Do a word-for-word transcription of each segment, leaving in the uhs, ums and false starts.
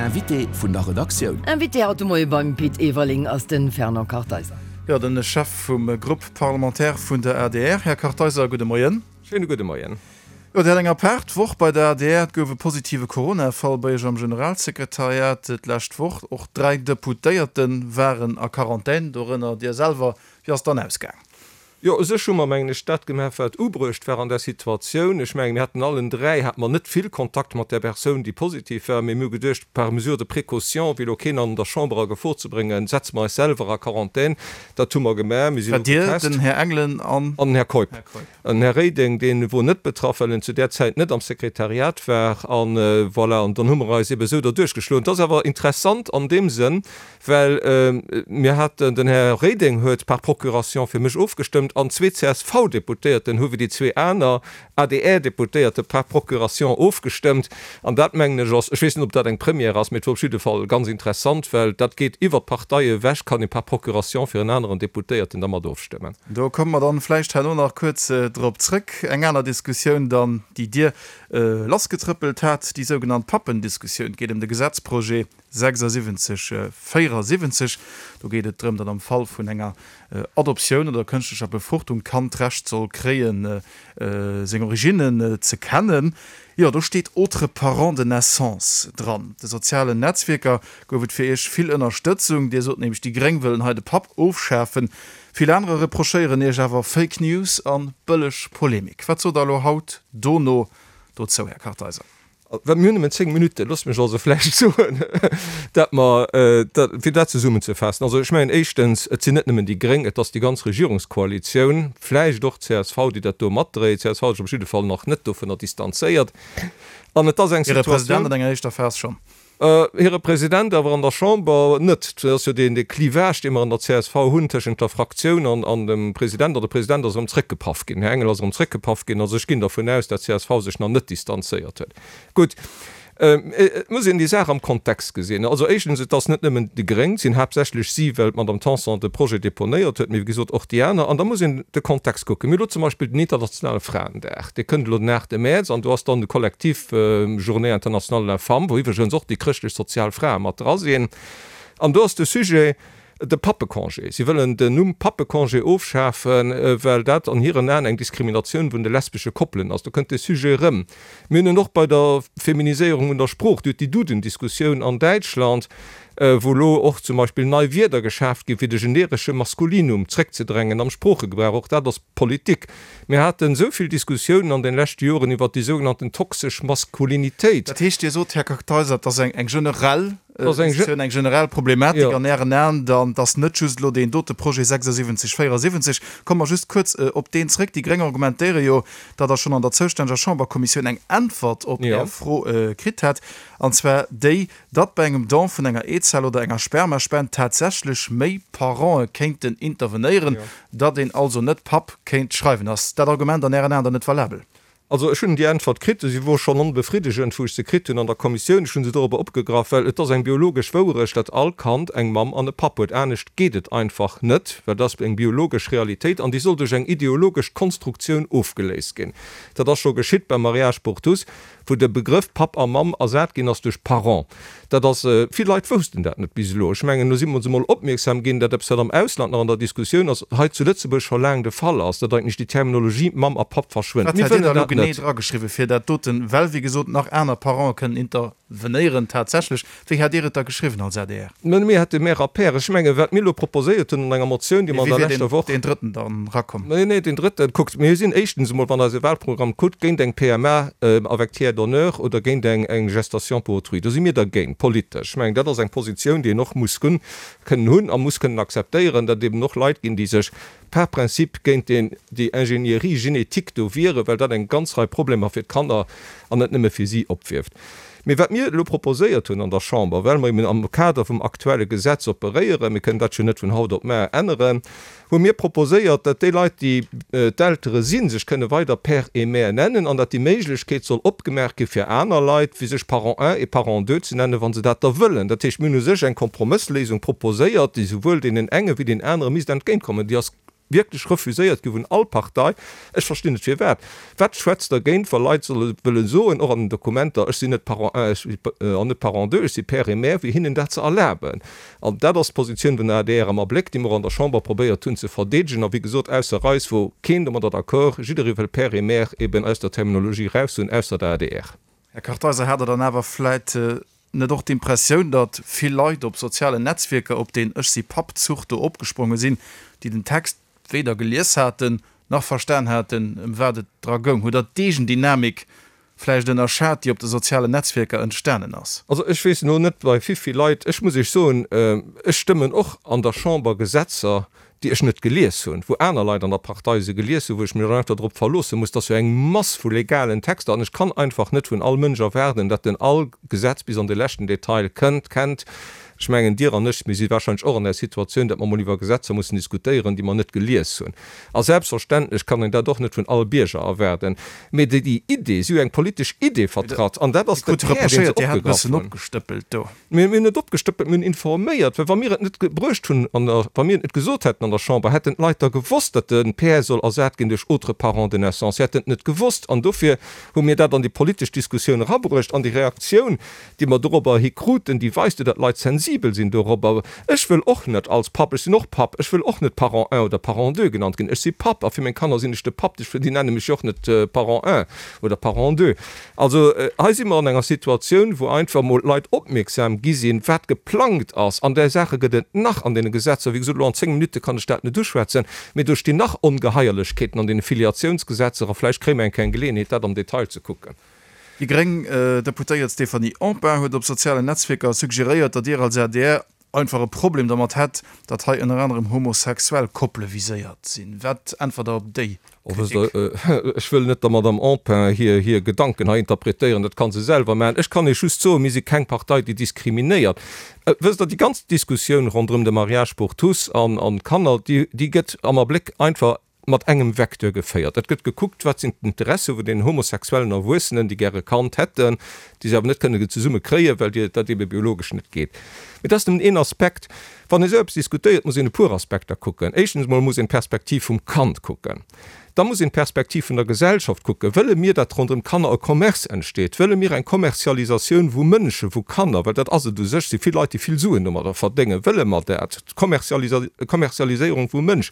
Invité vun der Redaktioun. Invité haut de Moie beim Pit Everling ass de Fernand Kartheiser. Jo, den Chef vum Groupe parlementaire vun der adr. Här Kartheiser, gudde Moien. Schéine gudde Moien. Jo, Dir hat eng apaart Woch bei der adr. Et gouf e positive Corona-Fall bei Iech am Generalsekretariat d'lescht Woch. Och dräi Deputéierte waren a Quarantän, dorënner Dir selwer. Wéi ass et dann ausgaang? Jo, u sech hu mer, mengen ech, dat gemaach, wat ubruecht war an där Situatioun. Ech mengen, mir haten allen dräi hate mer net vill Kontakt mat där Persoun, déi positiv war, mee mir hu geduecht, par mesure de précaution, fir elo keen an der Chamber a Gefor ze bréngen, setze mer eis selwer a Quarantän. Dat hu mer gemaach. Mir sinn elo getest. Dir, den Här Engelen an? An den Här Keup. An den Här Reding, dee wor net betraff, well en zu där Zäit net am Sekretariat war. An voilà, an dann hu mer eis ebe sou derduerch geschloen. Et ass awer interessant an deem Sënn, well mir haten, den Här Reding huet par procuration fir mech ofgestëmmt an zwee CSV-Deputéierten hu wéi déi zwee aner ADR-Deputéierte par procuration ofgestëmmt. An dat, mengen ech, ass, ech weess net, ob dat eng Première ass, mee et wor op jidde Fall ganz interessant, well dat geet iwwer d'Parteie ewech, kann ee par procuration fir en aneren Deputéierten da mat ofstëmmen. Do komme mer dann vläicht herno nach kuerz drop zrëck. Eng aner Diskussioun dann, déi Dir lassgetrëppelt hat, déi sougenannt Pappendiskussioun. Et geet ëm de Gesetzprojet sechsasiwwenzeg véierasiwwenzeg. Do geet et drëm, datt am Fall vun enger Adoptioun oder kënschtlecher Befruchtung d'Kand d'Recht soll kréien, seng Originnen ze kennen. Jo, do steet autres parents de naissance dran. De sozialen Netzwierker gouf et fir Iech vill Ënnerstëtzung. Dir sot nämlech, déi Gréng wëllen hei de Papp ofschafen. Vill anerer reprochéieren Iech awer Fake News a bëlleg Polemik. Wat sot Der elo haut dono dozou, Här Kartheiser? Well mir hunn nëmmen zéng Minutten, loosst mech also vläicht soen, dat mer, fir dat zesummenzefaassen, also ech mengen éischtens, et sinn net nëmmen déi Gréng, et ass déi ganz Regierungskoalitioun, vläicht och d'CSV, déi dat do matdréit. D'CSV huet sech op jidde Fall nach net dovunner distanzéiert. An et ass eng Hire Situatioun. President an enger éischter Phas schonn. Hire President awer an der Chamber net. Dat ass jo deen dee Clivage, dee mer an der csv hunn tëschent der Fraktioun an an dem President. An de President ass erëm zrëckgepaff ginn. Den Här Engel ass erëm zrëckgepaff ginn. Also ech ginn dervun aus, dat d'CSV sech nach net distanzéiert huet. Gutt, et muss een déi Saach am Kontext gesinn. Also éischtens, et ass net nëmmen déi Gréng, et sinn haaptsächlech si, well d'Madame Tanson de Projet deponéiert huet, mee wéi gesot och déi aner. An da muss een de Kontext kucken. Mir hu lo zum Beispill den internationale Fraendag, dee kënnt elo den aachte Mäerz an do ass dann de Kollektiv Journée internationale de la femme, wou iwwregens och déi chrëschtlech-sozial Frae mat dra sinn. An do ass de Sujet de Pappecongé. Si wëllen den Numm Pappecongé ofschafen, well dat an hiren Aen eng Diskriminatioun vun de lesbesche Koppelen ass. Do kënnt dee Sujet erëm. Mir hunn en och bei der Feminiséierung vun der Sprooch, Dir hutt déi Duden-Diskussioun an Däitschland, wou elo och zum Beispill nei Wierder geschaaft ginn, fir de generesche Maskulinum zréckzedrängen am Sproochegebrauch. Och dat ass Politik. Mir haten esou vill Diskussiounen an den leschte Joren iwwert déi sougenannten toxesch Maskulinitéit. Dat heescht, Dir sot, Här Kartheiser, et ass eng generell Diskussioun, eng generell Problematik an Ären Aen dann, et ass net just elo deen dote Projet sechsasiwwenzeg véierasiwwenzeg. Komme mer just kuerz op deen zréck. Déi Gréng argumentéiere jo, datt Der schonn an der zoustänneger Chamberkommissioun eng Äntwert op Är Fro kritt hätt, an zwar déi, datt bei engem Don vun enger Eezell oder enger Spermaspend tatsächlech méi Parente kéinten intervenéieren, datt een also net Papp kéint schreiwen. Ass dat Argument an Ären Aen dann net valabel? Also ech hunn déi Äntwert kritt, si wor schonn onbefriddegend, wou ech se kritt hunn an der Kommissioun. Ech hu se dorobber opgegraff, well et ass eng biologesch Wouerecht, datt all Kand eng Mamm an e Papp huet. Anescht geet et einfach net, well dat ass eng biologesch Realitéit an déi soll duerch eng ideologesch Konstruktioun ofgeléist ginn. Dat ass scho geschitt beim Mariage pour tous. wou de Begrëff Papp a Mamm ersat ginn ass duerch Parent. Dat ass, vill Leit woussten dat net bis elo. Ech mengen, elo si mer ons emol opmierksam ginn, dat eppes, wat am Ausland nach an der Diskussioun ass, hei zu Lëtzebuerg scho laang de Fall ass, datt eigentlech déi Terminologie Mamm a Papp verschwënnt. Wat Mir hätt Dir wëllen da elo dat genee net. drageschriwwen, fir dat doten, well wéi gesot nach aner Parente kënnen intervenéieren tatsächlech, wéi hätt Dir et da geschriwwen als adr? Mä mir hätte Mère a Père. Ech mengen, wat mir elo proposéiert hunn an enger Motioun, déi Mee mer an wéi der wier leschter Woch. deen drëtten dann rakomm? Nee, nee, deen drëtten, kuckt, mir sinn éischtens emol, wann Der eise Wahlprogramm kuckt, géint eng PMA avec tiers donneur oder géint eng eng Gestation pour autrui. Do si mir dergéint, politesch. Ech mengen, dat ass eng Positioun, déi een och muss kënnen hunn a muss kënnen akzeptéieren, datt et eben och Leit ginn, déi sech par principe géint deen, déi Ingénierie génétique do wieren, well dat eng ganz Rei Problemer fir d'Kanner an net nëmme fir si opwierft. Mee wat mir elo proposéiert hunn an der Chamber, well mer eben am Kader vum aktuelle Gesetz operéieren, mir kënnen dat jo net vun haut op mar änneren, hu mir proposéiert, datt déi Leit, déi d'Eltere sinn, sech kënne weider Père et Mère nennen an datt déi Méiglechkeet soll opgemaach gi fir aner Leit, fir sech Parent un et Parent deux ze nennen, wa se dat da wëllen. Dat heescht, mir hunn u sech eng Kompromëssléisung proposéiert, déi souwuel deenen enge wéi deenen anere misst entgéintkommen. Déi ass wierklech refuséiert gi vun all Partei. Ech verstinn net firwat. Wat schwätzt dergéint, wa Leit solle wëlle soen, och an den Dokumenter, ech sinn net Parent un, ech an net Parent deux, ech si Père et mère, wéi hinnen dat ze erlaben? An dat ass d'Positioun vun der adr am Abléck, déi mer an der Chamber probéiert hunn ze verdeedegen. A wéi gesot, ausser eis wor keen domadder d'accord. Jidderee wëll Père et mère eben aus der Terminologie raus hunn, ausser der adr. Här Kartheiser, hat Der dann awer vläit net och d'Impressioun, datt vill Leit op sozialen Netzwierker op deen Ech si Papp-Zuch do opgespronge sinn, déi den Text weder gelies haten, nach verstan haten, ëm wat et dra goung? Hutt Der d'Eegendynamik vläicht ënnerschat, déi op de sozialen Netzwierker entstanen ass? Also ech weess elo net bei wivill Leit, ech muss Iech soen, ech stëmmen och an der Chamber Gesetzer, déi ech net gelies hunn, wou aner Leit an der Partei se gelies hunn, wou ech mech dann einfach drop verloosse muss. Dat ass jo eng Mass vu legalen Texter an ech kann einfach net vun all Mënsch erwaarden, datt en all Gesetz bis an de leschten Detail kënnt, kennt. Ech mengen, Dir an ech, mir si wahrscheinlech och an där Situatioun, datt mer emol iwwer Gesetzer mussen diskutéieren, déi mer net gelies hunn. A selbstverständlech kann een dat och net vun all Bierger erwaarden. Mee déi déi Idee, si hu eng politesch Idee vertratt an dat ass de Kär, dee se opgegraff hunn. Mir hunn net opgestëppelt, mir hunn informéiert. Well wa mir et net bruecht hunn an der, wa mir et net gesot hätten an der Chamber, hätten d'Leit da gewosst, datt de Père soll ersat ginn duerch autre parent de naissance. Si hätten et net gewosst. An dofir hu mir dat an déi politesch Diskussioun erabruecht. An déi Reaktioun, déi mer dorobber hi kruten, déi weist jo, datt d'Leit sensibel sinn dorobber. Ech wëll och net als Papp, ech sinn och Papp, ech wëll och net Parent un oder Parent deux genannt ginn. Ech si Papp a fir meng Kanner sinn ech de Papp. Déi nenne mech jo och net Parent un oder Parent deux. Also hei si mer an enger Situatioun, wou einfach emol d'Leit opmierksam gi sinn, wat geplangt ass. An där Saache gëtt et nach an deene Gesetzer. Wéi gesot, elo an zéng Minutte kann ech dat net uschwätzen, mee do stinn nach Ongeheierlechkeeten an deene Filiatiounsgesetzer a vläicht kréie mer eng Kéier eng Geleeënheet, dat am Detail ze kucken. Déi gréng Deputéiert Stéphanie Empain huet op sozialen Netzwierker suggeréiert, datt Dir als adr einfach e Problem dermat hätt, datt hei ënner anerem homosexuell Koppele viséiert sinn. Wat äntwert Der op déi Kritik? Ech wëll net der Madamm Empain hir hir Gedanken hei interpretéieren, dat ka se selwer maachen. Ech kann Iech just soen, mir si keng Partei, déi diskriminéiert. Wësst Der, déi ganz Diskussioun ronderëm de Mariage pour tous an d'Kanner, déi déi gëtt am Abléck einfach mat engem Vecteur geféiert. Et gëtt gekuckt, wat sinn d'Interesse vun den homosexuellen Erwuessenen, déi gäre Kand hätten, déi se awer net kënnen zesumme kréien, well dat ebe biologesch net geet. Mee dat ass nëmmen een Aspekt. Wann ee sou eppes diskutéiert, muss een e puer Aspekter kucken. Éischtens emol muss een d'Perspektiv vum Kand kucken. Da muss een d'Perspektiv vun der Gesellschaft kucken. Wëlle mir, datt ronderëm Kanner e Commerce entsteet? Wëlle mir eng Kommerzialisatioun vu Mënschen, vu Kanner? Well dat ass et u sech, si vill Leit, déi vill Suen domadder verdéngen. Wëlle mer dat, d'Kommerzialiséierung vum Mënsch?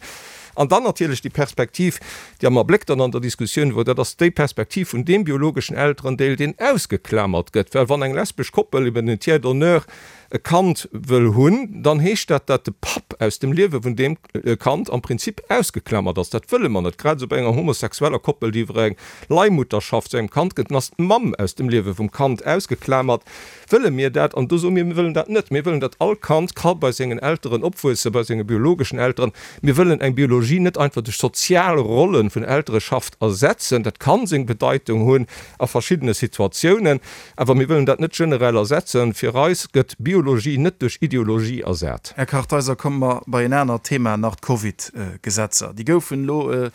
An dann natierlech déi Perspektiv, déi am Abléck dann an der Diskussioun wor, dat ass déi Perspektiv vun deem biologeschen Elterendeel, deen ausgeklamert gëtt. Well wann eng lesbesch Koppel eben en Tiers d'honneur e Kand wëll hunn, dann heescht dat, dat de Papp aus dem Liewe vun deem Kand am Prinzip ausgeklamert ass. Dat wëlle mer net. Grad esou bei enger homosexueller Koppel, déi iwwer eng Leihmutterschaft zu engem Kand gëtt, dann ass d'Mamm aus dem Liewe vum Kand ausgeklamert. Wëlle mir dat? An do soe mir, mir wëllen dat net. Mir wëllen, datt all Kand ka bei sengen Elteren opwuessen, bei senge biologeschen Elteren. Mir wëllen eng Biologie net einfach duerch sozial Rolle vun Eltereschaft ersetzen. Dat ka seng Bedeitung hunn a verschiddene Situatiounen, awer mir wëllen dat net generell ersetzen. Fir eis gëtt Biologie net duerch Ideologie ersat. Här Kartheiser, komme mer bei en anert Thema nach, d'Covid-Gesetzer. Déi goufen elo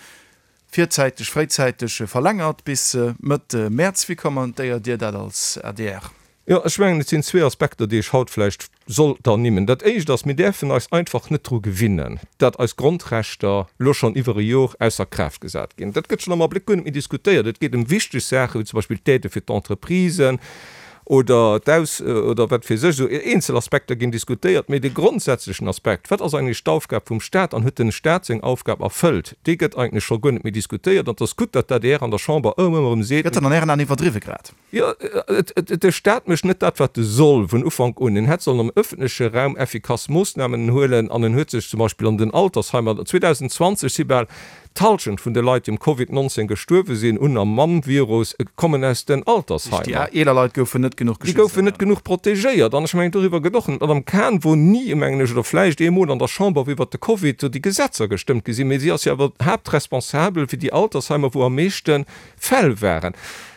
virzäiteg, fréizäiteg verlängert bis Mëtt Mäerz. Wéi kommentéiert Dir dat als adr? Jo, ech mengen, et sinn zwee Aspekter, déi ech haut vläicht sollt ernimmen. Dat Éischt ass, Mir däerfen eis einfach net dru gewinnen, datt eis Grondrechter elo schonn iwwer e Jor ausser Kraaft gesat ginn. Dat gëtt schonn am Abléck guer net méi diskutéiert. Et geet ëm wichteg Saachen, wéi zum Beispill d'Aidë fir d'Entreprisen oder d'Aus oder wat weess ech, esou eenzel Aspekter ginn diskutéiert. Mee de grondsätzlechen Aspekt, Wat ass eigentlech d'Aufgab vum Stat an huet den Stat seng Aufgab erfëllt, dee gëtt eigentlech scho guer net méi diskutéiert. An et ass gutt, datt d'ADR an der Chamber ëmmer erëm seet, Gëtt dat an Ären Aen iwwerdriwwe grad? Jo, de Staat mécht net dat, wat e soll vun Ufank un. En hätt sollen am ëffentleche Raum effikass Moossnamen huelen an en huet sech zum Beispill an den Altersheimer, zweedausendzwanzeg si bal d'Hallschent vun de Leit, déi um Covid nonzéng gestuerwe sinn un a mam Virus, kommen aus den Altersheimer. Déi eeler Leit goufen net genuch geschützt. Déi goufen net genuch protegéiert. An ech mengen, doriwwer gëtt och net. D'Madame Cahen wor ni, mengen ech, oder vläicht eemol an der Chamber, wou iwwert de Covid do déi Gesetzer gestëmmt gi sinn, mee si ass jo awer haaptresponsabel fir déi Altersheimer, wou am meeschte Fäll waren.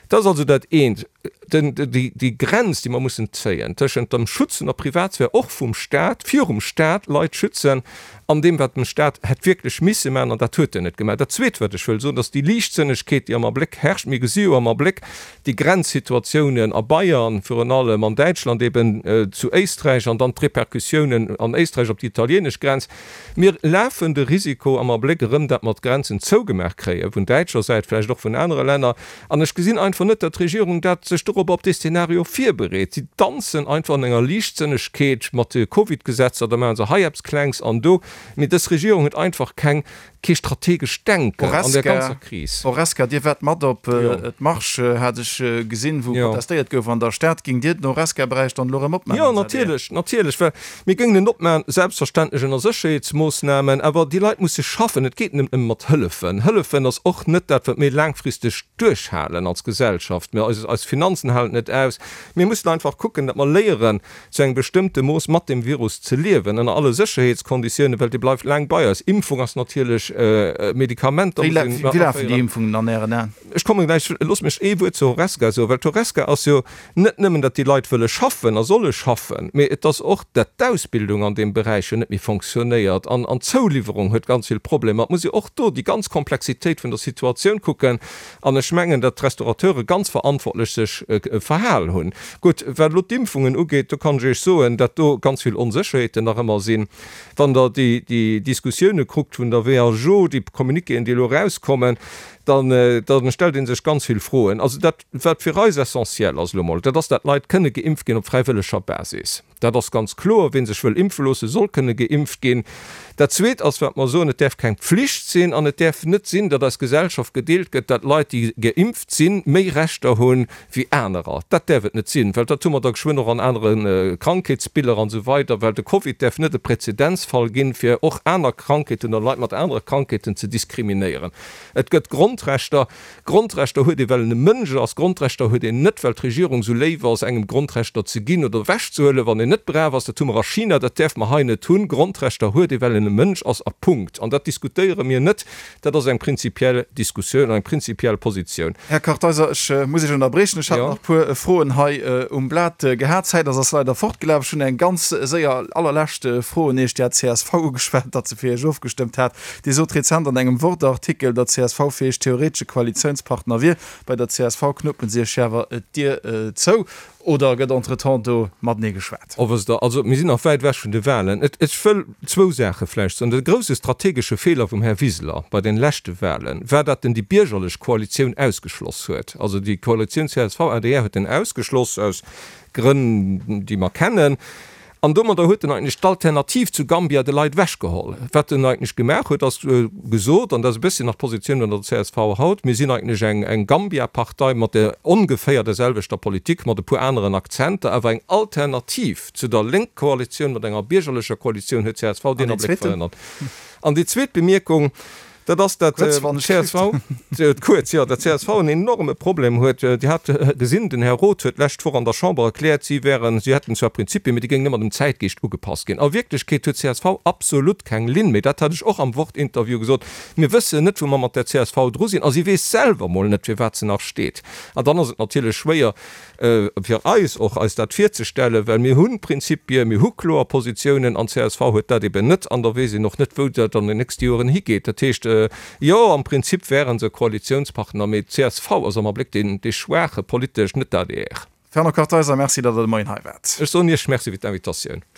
Dat ass also dat eent. Den, déi, déi Grenz, déi mer mussen zéien tëschent dem Schutz vun der Privatsphär, och vum Stat, virum Stat Leit schützen, an deem, wat dem Stat hätt wierklech misse maachen, an dat huet en net gemaach. Dat Zweet, wat ech wëll soen, dass déi Liichtsënnegkeet, déi am Abléck herrscht, mir gesi jo am Abléck déi Grenzsituatiounen a Bayern virun allem, an Däitschland eben, zu Éisträich an dann d'Repercussiounen an Éisträich op déi italienesch Grenz. Mir lafen de Risiko am Abléck erëm, dat mer d'Grenzen zougemaach kréie vun däitscher Säit, vläicht och vun anere Länner. An ech gesinn einfach net, datt d'Regierung dat sech dorobber op dee Szenario virbereet. Si danzen einfach an enger Liichtsënnegkeet mat de Covidgesetzer, da maache se hei eppes Klengs an do. Mee dës Regierung huet einfach keng, kee strategescht Denken an där ganzer Kris. Horesca, Dir waart mat op d'Marche, hat ech gesinn, wou protestéiert gouf an der Stad. Géingt Dir den Horesca-Beräich dann elo erëm opmaachen? Jo, natierlech, natierlech, well mir géingen en opmaachen, selbstverständlech ënner Sécherheetsmoossnamen, awer déi Leit musse schaffen. Et geet net nëmme mat Hëllefen. Hëllefen ass och net dat, wat mir laangfristeg duerchhalen als Gesellschaft. Mir, eis, eis Finanzen halen et net aus. Mir mussen einfach kucken, datt mer léieren, zu engem bestëmmte Mooss mat deem Virus ze liewen, ënner alle Sécherheetskonditiounen, well dee bleift laang bei eis. Impfung ass natierlech, Medikamenter muss een Wéi lafen déi Impfungen an Ären Aen? Ech komme gläich, loosst mech ee Wuert zur Horesca soen, well d'Horesca ass jo net nëmmen, datt déi Leit wëlle schaffen a solle schaffen, mee et ass och, datt d'Ausbildung an deem Beräich jo net méi fonctionnéiert an d'Zouliwwerung huet ganz vill Problemer. Et muss ee och do déi ganz Komplexitéit vun der Situatioun kucken an ech mengen, datt d'Restaurateure ganz verantwortlech sech verhal hunn. Gutt, wat elo d'Impfungen ugeet, do kann ech Iech soen, datt do ganz vill Onsécherheeten nach ëmmer sinn. Wann Der déi Diskussioune kuckt vun der W H O, déi Communiquéen, déi elo erauskommen, dann stellt ee sech ganz vill Froen. Also dat, wat fir eis essentiell ass elo emol, dat ass, dat d'Leit kënne geimpft ginn op fräiwëlleger Basis. Dat ass ganz kloer. Wee sech wëll impfe loossen, soll kënne geimpft ginn. Dat Zweet ass, wat mer soen, Et däerf keng Pflicht sinn an et däerf net sinn, datt eis Gesellschaft gedeelt gëtt, datt Leit, déi geimpft sinn, méi Rechter hu wéi anerer. Dat däerf et net sinn, well dat hu mer da geschwënn och an anere Krankheetsbiller an esou weider, well de Covid däerf net e Präzedenzfall ginn, fir och aner Krankheeten oder Leit mat anere Krankheeten ze diskriminéieren. Et gëtt Grondrechter. Grondrechter huet ee well en e Mënsch ass. Grondrechter huet een net, well d'Regierung esou léif ass, engem Grondrechter ze ginn oder ewechzehuelen, wann een net brav ass. Dat hu mer a China, dat däerfe mer hei net hunn. Grondrechter huet ee well en e Mënsch ass a Punkt. An dat diskutéiere mir net. Dat ass eng prinzipiell Diskussioun an eng prinzipiell Positioun. Här Kartheiser, ech muss Iech ënnerbriechen. Ech hat nach e puer Froen hei um Blat gehat. D'Zäit ass ass leider fortgelaf. Ech hunn eng ganz séier allerlescht Fro un Iech. Dir hat d'CSV ugeschwat, datt se fir Iech ofgestëmmt hat. Dir sot rezent an engem Wort-Artikel, datt d'CSV fir Iech theoretesche Koalitiounspartner wier. Bei der csv knuppen si Iech awer d'Dier zou. Oder gëtt entretemps do matenee geschwat? Oh, wësst Der, also mir sinn nach wäit ewech vun de Wahlen. Et, ech wëll zwou Saache vläicht soen. De grouse strategesche Feeler vum Här Wiseler bei den leschte Wahlen war, datt en déi biergerlech Koalitioun ausgeschloss huet. Also déi Koalitioun csv-adr huet en ausgeschloss, aus Grënn, déi mer kennen. An domadder huet en eigentlech d'Alternativ zu Gambia de Leit ewechgeholl. Wat en eigentlech gemaach huet, ass gesot, an dat ass e bësschen nach d'Positioun vun der csv haut, Mir sinn eigentlech eng, eng Gambia-Partei mat der ongeféier der selwechter Politik, mat e puer aneren Akzenter, awer eng Alternativ zu der Lénk-Koalitioun, mat enger biergerlecher Koalitioun huet csv deen Abléck verhënnert. An déi zweet Bemierkung, Dat ass, dat csv, kuerz, jo, dat csv en enorme Problem huet. Dir hat gesinn, den Här Roth huet d'lescht Woch an der Chamber erkläert, si wären, si hätten zwar Prinzipien, mee déi géingen ëmmer dem Zäitgeescht ugepasst ginn. A Wierklechkeet huet csv absolut keng Linn méi. Dat hat ech och am Wort-Interview gesot. Mir wëssen net, wou mer mat där csv dru sinn. A si weess selwer mol net, fir wat se nach steet. An dann ass et natierlech schwéier, fir eis och, eis dat virzestellen, well mir hu Prinzipien, mir hu kloer Positiounen an csv huet dat eben net an da weess een och net, wou dat an den nächste Joren higeet. Dat heescht, jo, am Prinzip wäre se Koalitiounspartner, mee csv ass am Abléck deen, dee Schwaache politesch, net d'ADR. Fernand Kartheiser, Merci, datt Der de Moien hei waart. Ech soen Iech Merci fir d'Invitatioun.